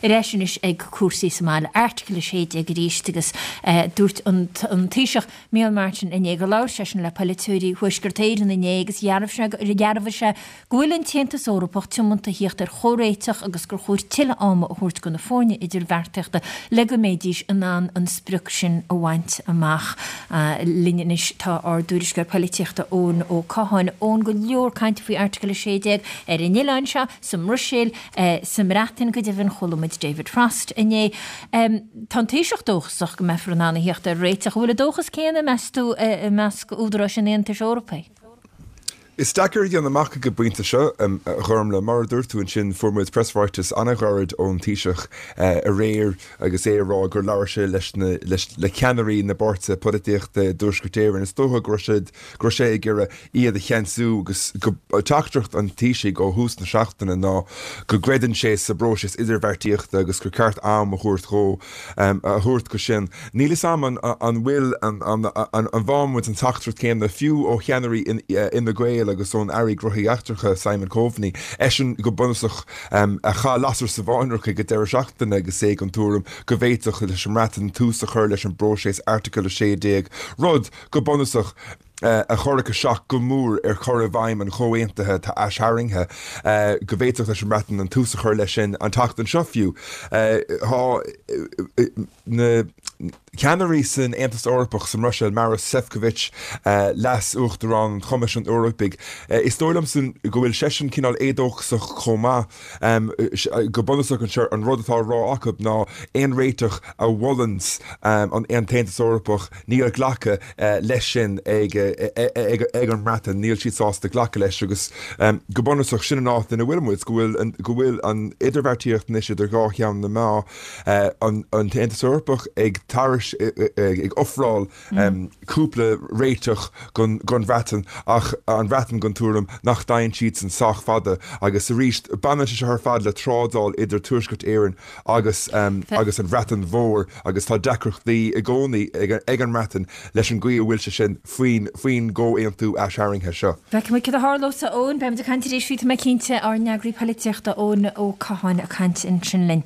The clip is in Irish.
Ar ais anois ag cúrsaí sa mbaile, Airteagal 16 arís agus dúirt an Taoiseach Micheál Martin inné gur labhair seisean le polaiteoirí Thuaisceart Éireann inné agus dhearbhaigh sé go bhfuil an tAontas Eorpach tiomanta a thíocht ar chomhréiteach agus gur chóir tuilleadh ama a thabhairt do na foirne idirbheartaíochta le go mbeidís in ann an sprioc sin a bhaint amach. Linn anois tá ár dtuairisceoir polaitíochta Eoin Ó Catháin. Eoin, go leor cainte faoi Airteagal 16 ar an oileán seo, sa mBruiséil, sa mBreatain go deimhin. Chuala muid David Frost inné. Tá an Taoiseach dóchasach go mbeifear in ann a thíocht ar réiteach. An bhfuil an dóchas céanna, meas tú, i measc údaráis an Aontais Eorpaigh? Is deacair a dhéanamh amach ag an bpointe seo, a Ghormlaith. Mar a dúirt tú ansin, fuair muid preasráiteas an-ghairid ón Taoiseach aréir agus é ag rá gur labhair sé leis na, le ceannairí na bpáirtithe polaitíochta i dTuaisceart Éireann. Is dócha go raibh siad, go raibh sé ag iarraidh iad a cheansú agus go, teachtaireacht an Taoisigh ó thús na seachtaine ná go gcreideann sé sa bpróiseas idirbheartaíochta agus gur ceart am a thabhairt dhó. a thabhairt dó sin. Níl fhios a'm an bhfuil, an bhfaighidh muid an teachtaireacht chéanna fiú ó cheannairí Fhine Gael agus ón Aire Gnóthaí Eachtracha, Simon Coveney, eisean go bunúsach a chaith lasair sa bhfáinleog ag an deireadh seachtaine agus é den tuairim go bhféadfadh leis an mBreatain tús a chur leis an bpróiseas Airteagal 16, rud, go bunúsach, a chuirfeadh isteach go mór ar chur i bhfeidhm an chomhaontaithe atá aistarraingthe, go bhféadfadh leis an mBreatain an tús a chur leis sin an tseachtain seo fiú. Tá na ceannairí san Aontas Eorpach sa mBruiséil, Maros Sefcovic, Leas-Uachtarán an Choimisiúin Eorpaigh, is dóigh liomsa go bhfuil seisean cineál éadóchasach chomh maith. Go bunúsach anseo, an rud atá á rá acu ná aon réiteach a mholanns an tAontas Eorpach, Níl glacadh leis sin ag an mBreatain, níl siad sásta glacadh leis agus go bunúsach sin an áit ina bhfuil muid, go bhfuil go bhfuil an idirbheartaíocht anois idir dhá cheann na meá, an tAontas Eorpach ag tairis ag ofráil cúpla réiteach don Bhreatain ach an Bhreatain den tuairim nach dtéann siadsan sách fada agus arís baineann sé seo ar fad le trádáil idir Tuaisceart Éireann agus agus an Bhreatain Mhór agus tá deacrachtaí i gcónaí ag an mBreatain leis an gcaoi a bhfuil sé sin faoin faoin gcomhaontú aistarraingthe seo. Feicfidh muid cad a tharlós, a Eoin. Beimid ag caint arís faoi, tá mé cinnte, ár n-eagraí polaitíochta Eoin Ó Catháin ag caint ansin linn.